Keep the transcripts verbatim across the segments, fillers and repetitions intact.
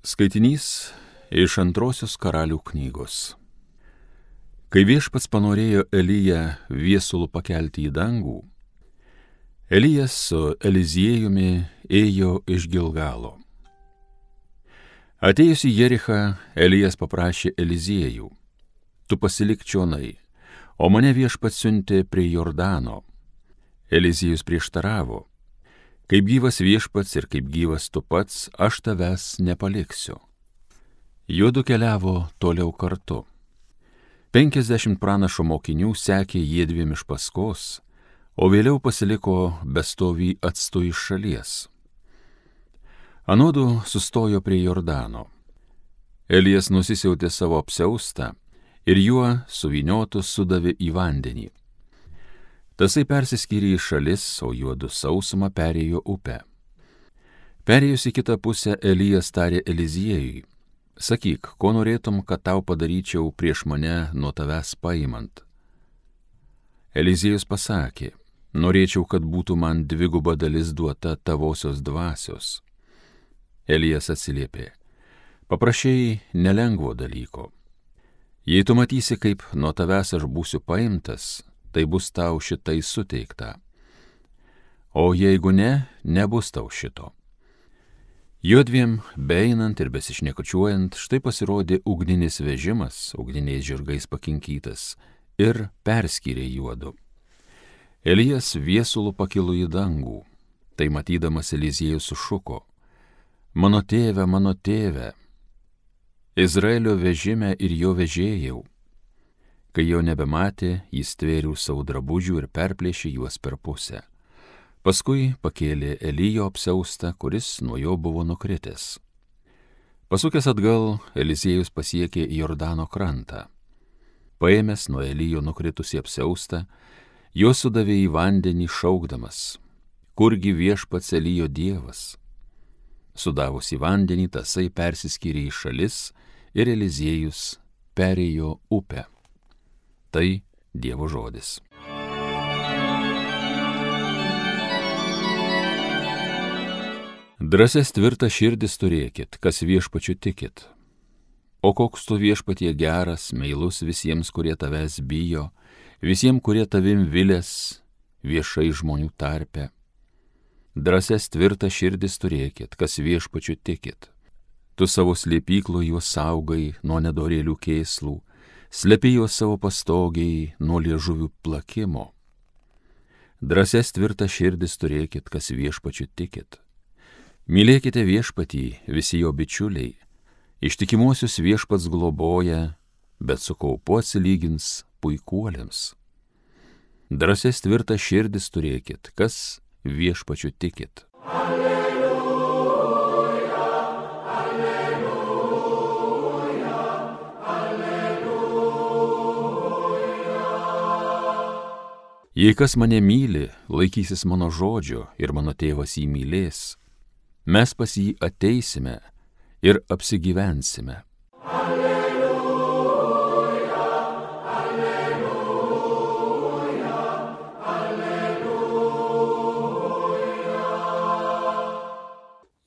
Skaitinys iš antrosios karalių knygos. Kai viešpats panorėjo Eliją viesulu pakelti į dangų, Elijas su Eliziejumi ėjo iš Gilgalo. Atėjus į Jerichą, Elijas paprašė Eliziejų: tu pasilik čionai, o mane viešpats siuntė prie Jordano. Eliziejus prieštaravo: kaip gyvas viešpats ir kaip gyvas tu pats, aš tavęs nepaliksiu. Juodu keliavo toliau kartu. Penkiasdešimt pranašo mokinių sekė jiedviem iš paskos, o vėliau pasiliko bestovį atstu iš šalies. Anodu sustojo prie Jordano. Elijas nusisiautė savo apsiaustą ir juo suvyniotus sudavė į vandenį. Tasai persiskyrė į šalis, o juodu sausumą perėjo upę. Perėjus į kitą pusę, Elijas tarė Eliziejui: sakyk, ko norėtum, kad tau padaryčiau prieš mane nuo tavęs paimant. Eliziejus pasakė: norėčiau, kad būtų man dviguba dalis duota tavosios dvasios. Elijas atsiliepė: paprašei nelengvo dalyko. Jei tu matysi, kaip nuo tavęs aš būsiu paimtas, tai bus tau šitai suteikta. O jeigu ne, nebus tau šito. Juodviem, beeinant ir besišnekučiuojant, štai pasirodė ugninis vežimas, ugniniais žirgais pakinkytas, ir perskyrė juodu. Elijas viesulu pakilo į dangų. Tai matydamas Eliziejus sušuko: mano tėve, mano tėve, Izraelio vežime ir jo vežėjau. Kai jo nebematė, jis tvėrių savo drabužių ir perplėšė juos per pusę. Paskui pakėlė Elijo apsiaustą, kuris nuo jo buvo nukritęs. Pasukęs atgal, Eliziejus pasiekė Jordano krantą. Paėmęs nuo Elijo nukritusį apsiaustą, jo sudavė į vandenį šaukdamas: kurgi viešpats Elijo dievas? Sudavus į vandenį, tasai persiskyrė į šalis ir Eliziejus perėjo upę. Tai Dievo žodis. Drąsias tvirtas širdis turėkit, kas viešpačiu tikit. O koks tu viešpatie geras, meilus visiems, kurie tavęs bijo, visiems, kurie tavim vilės viešai žmonių tarpe. Drąsias tvirtas širdis turėkit, kas viešpačiu tikit. Tu savo slėpyklų juos saugai nuo nedorėlių kėslų, slepi juos savo pastogiai nuo liežuvių plakimo. Drąsias tvirtas širdis turėkit, kas viešpačiu tikit. Mylėkite viešpatį, visi jo bičiuliai, ištikimuosius viešpats globoja, bet su kaupu atsilygins puikuoliams. Drąsias tvirtas širdis turėkit, kas viešpačiu tikit. Jei kas mane myli, laikysis mano žodžio ir mano tėvas jį mylės, mes pas jį ateisime ir apsigyvensime. Alleluja, alleluja, alleluja.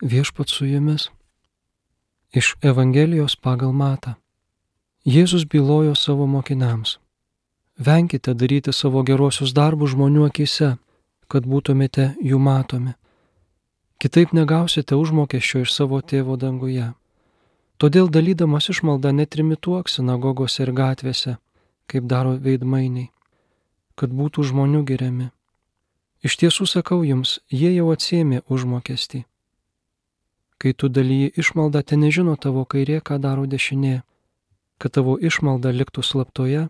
Viešpats su jumis. Iš Evangelijos pagal Matą. Jėzus bylojo savo mokiniams: venkite daryti savo geruosius darbus žmonių akyse, kad būtumėte jų matomi. Kitaip negausite užmokesčio iš savo tėvo danguje. Todėl dalydamas išmaldą netrimituok sinagogose ir gatvėse, kaip daro veidmainiai, kad būtų žmonių giriami. Iš tiesų sakau jums, jie jau atsiėmė užmokestį. Kai tu dalyji išmaldą, ten nežino tavo kairė, ką daro dešinė, kad tavo išmalda liktų slaptoje,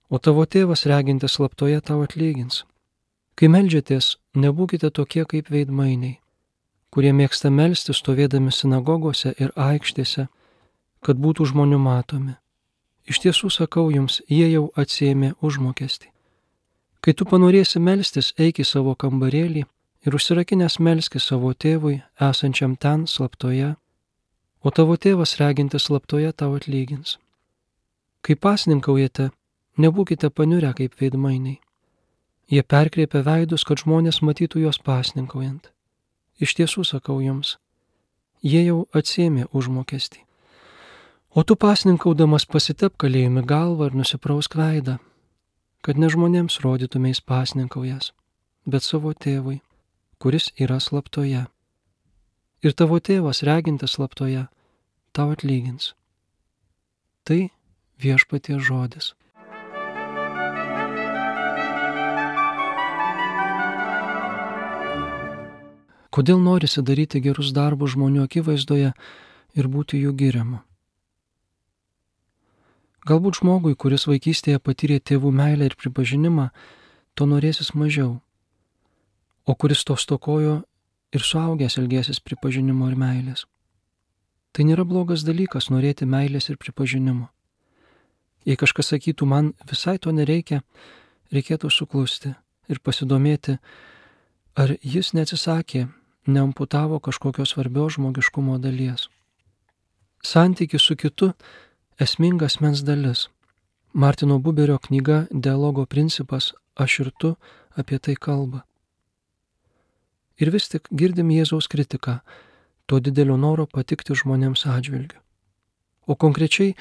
o tavo tėvas regintis slaptoje tau atlygins. Kai meldžiatės, nebūkite tokie kaip veidmainiai, kurie mėgsta melstis stovėdami sinagogose ir aikštėse, kad būtų žmonių matomi. Iš tiesų sakau jums, jie jau atsiėmė užmokestį. Kai tu panorėsi melstis, eik į savo kambarėlį ir užsirakinęs melski savo tėvui, esančiam ten slaptoje, o tavo tėvas regintis slaptoje tau atlygins. Kai pasninkaujate, nebūkite paniurę kaip veidmainiai. Jie perkreipia veidus, kad žmonės matytų juos pasninkaujant. Iš tiesų sakau jums, jie jau atsiėmė užmokestį. O tu pasninkaudamas pasitep kalėjime galvą ir nusiprausk veidą, kad ne žmonėms rodytumės pasninkaujas, bet savo tėvui, kuris yra slaptoje. Ir tavo tėvas, regintis slaptoje, tau atlygins. Tai Viešpaties žodis. Kodėl norisi daryti gerus darbus žmonių akivaizdoje ir būti jų giriamu? Galbūt žmogui, kuris vaikystėje patyrė tėvų meilę ir pripažinimą, to norėsis mažiau, o kuris to stokojo ir suaugęs ilgėsis pripažinimo ir meilės. Tai nėra blogas dalykas norėti meilės ir pripažinimo. Jei kažkas sakytų, man visai to nereikia, reikėtų suklusti ir pasidomėti, ar jis neatsisakė, neamputavo kažkokios svarbios žmogiškumo dalies. Santykis su kitu esminga asmens dalis. Martino Buberio knyga Dialogo principas Aš ir tu apie tai kalba. Ir vis tik girdim Jėzaus kritiką, to didelio noro patikti žmonėms atžvilgiu. O konkrečiai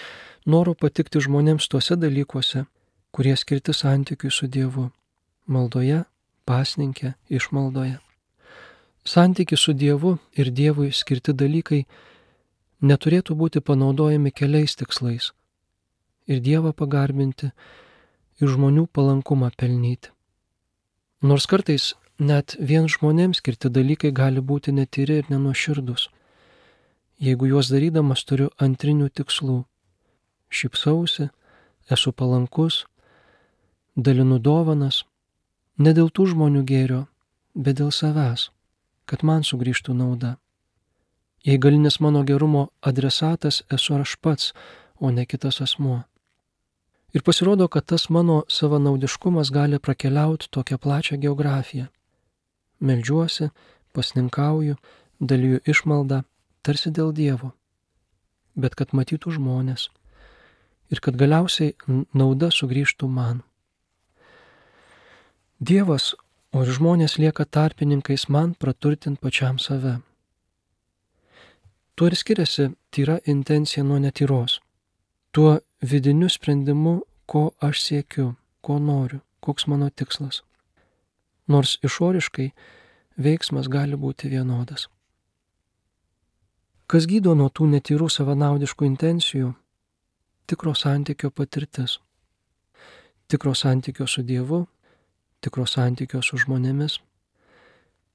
noro patikti žmonėms tuose dalykuose, kurie skirti santykiui su Dievu - maldoje, pasninke, išmaldoje. Santykis su Dievu ir Dievui skirti dalykai neturėtų būti panaudojami keliais tikslais - ir Dievą pagarbinti, ir žmonių palankumą pelnyti. Nors kartais net vien žmonėms skirti dalykai gali būti netyri ir nenuoširdus, jeigu juos darydamas turiu antrinių tikslų - šypsausi, esu palankus, dalinu dovanas, ne dėl tų žmonių gėrio, bet dėl savęs, kad man sugrįžtų nauda. Jei galinis mano gerumo adresatas esu aš pats, o ne kitas asmuo. Ir pasirodo, kad tas mano savanaudiškumas gali prakeliauti tokią plačią geografiją. Meldžiuosi, pasninkauju, dalyju išmaldą, tarsi dėl Dievo, bet kad matytų žmonės ir kad galiausiai nauda sugrįžtų man. Dievas, o ir žmonės lieka tarpininkais man praturtint pačiam save. Tuo ir skiriasi tyra intencija nuo netyros. Tuo vidiniu sprendimu, ko aš siekiu, ko noriu, koks mano tikslas. Nors išoriškai veiksmas gali būti vienodas. Kas gydo nuo tų netyrų savanaudiškų intencijų? Tikro santykio patirtis. Tikro santykio su Dievu, tikro santykio su žmonėmis.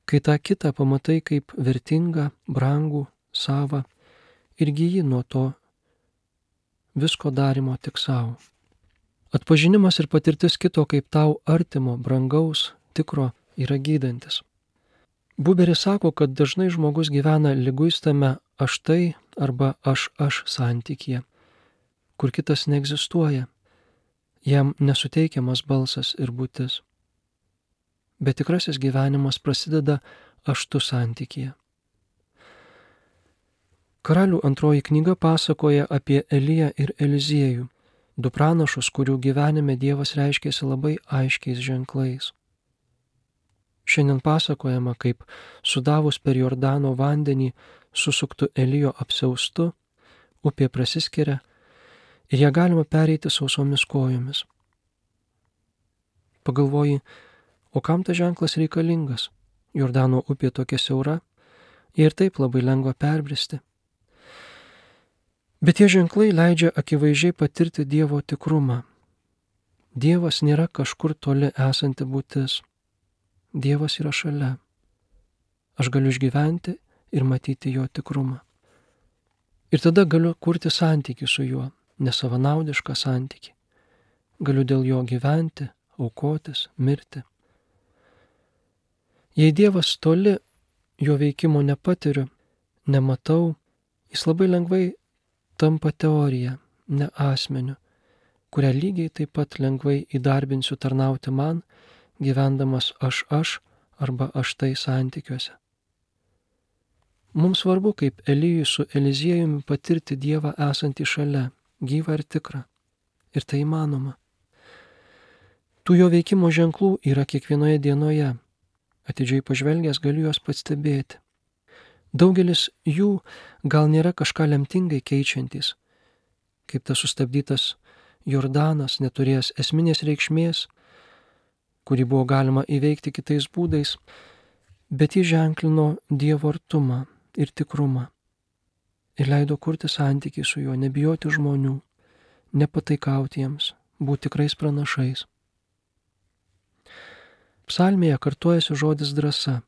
Kai tą kitą pamatai kaip vertingą, brangų, savą ir gyji nuo to visko darimo tik savo. Atpažinimas ir patirtis kito kaip tau artimo, brangaus, tikro yra gydantis. Buberis sako, kad dažnai žmogus gyvena liguistame aš tai arba aš aš santykyje, kur kitas neegzistuoja, jam nesuteikiamas balsas ir būtis. Bet tikrasis gyvenimas prasideda aš tu santykyje. Karalių antroji knyga pasakoja apie Eliją ir Eliziejų, du pranašus, kurių gyvenime Dievas reiškėsi labai aiškiais ženklais. Šiandien pasakojama, kaip sudavus per Jordano vandenį susuktų Elijo apsiaustu, upė prasiskiria ir ją galima pereiti sausomis kojomis. Pagalvoji, o kam tas ženklas reikalingas? Jordano upė tokia siaura, jai ir taip labai lengva perbristi. Bet tie ženklai leidžia akivaizdžiai patirti Dievo tikrumą. Dievas nėra kažkur toli esanti būtis. Dievas yra šalia. Aš galiu išgyventi ir matyti jo tikrumą. Ir tada galiu kurti santykį su juo, nesavanaudišką santykį. Galiu dėl jo gyventi, aukotis, mirti. Jei Dievas toli, jo veikimo nepatiriu, nematau, jis labai lengvai tampa teorija, ne asmeniu, kurią lygiai taip pat lengvai įdarbinsiu tarnauti man, gyvendamas aš aš arba aš tai santykiuose. Mums svarbu, kaip Elijui su Eliziejumi patirti Dievą esantį šalia, gyvą ir tikrą. Ir tai įmanoma. Tų jo veikimo ženklų yra kiekvienoje dienoje. Atidžiai pažvelgęs galiu juos pastebėti. Daugelis jų gal nėra kažką lemtingai keičiantys, kaip tas sustabdytas Jordanas, neturėjęs esminės reikšmės, kurį buvo galima įveikti kitais būdais, bet jis ženklino Dievo artumą ir tikrumą ir leido kurti santykį su juo, nebijoti žmonių, nepataikauti jiems, būti tikrais pranašais. Psalmėje kartojasi žodis drąsa.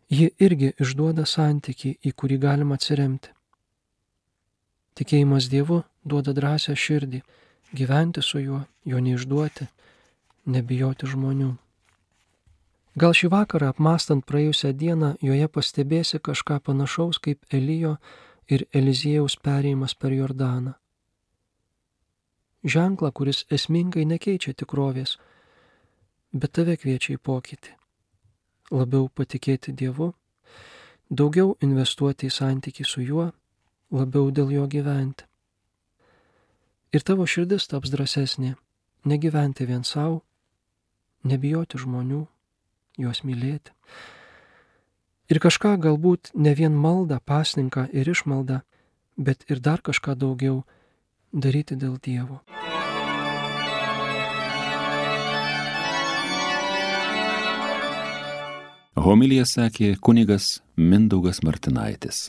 Ji irgi išduoda santykį, į kurį galima atsiremti. Tikėjimas Dievu duoda drąsią širdį, gyventi su juo, jo neišduoti, nebijoti žmonių. Gal šį vakarą apmąstant praėjusią dieną joje pastebėsi kažką panašaus kaip Elijo ir Eliziejaus perėjimas per Jordaną. Ženklą, kuris esmingai nekeičia tikrovės, bet tave kviečia į pokytį. Labiau patikėti Dievu, daugiau investuoti į santykį su juo, labiau dėl jo gyventi. Ir tavo širdis taps drąsesnė, negyventi vien savo, nebijoti žmonių, juos mylėti. Ir kažką galbūt ne vien maldą, pasninką ir išmaldą, bet ir dar kažką daugiau daryti dėl Dievo. Homiliją sakė kunigas Mindaugas Martinaitis.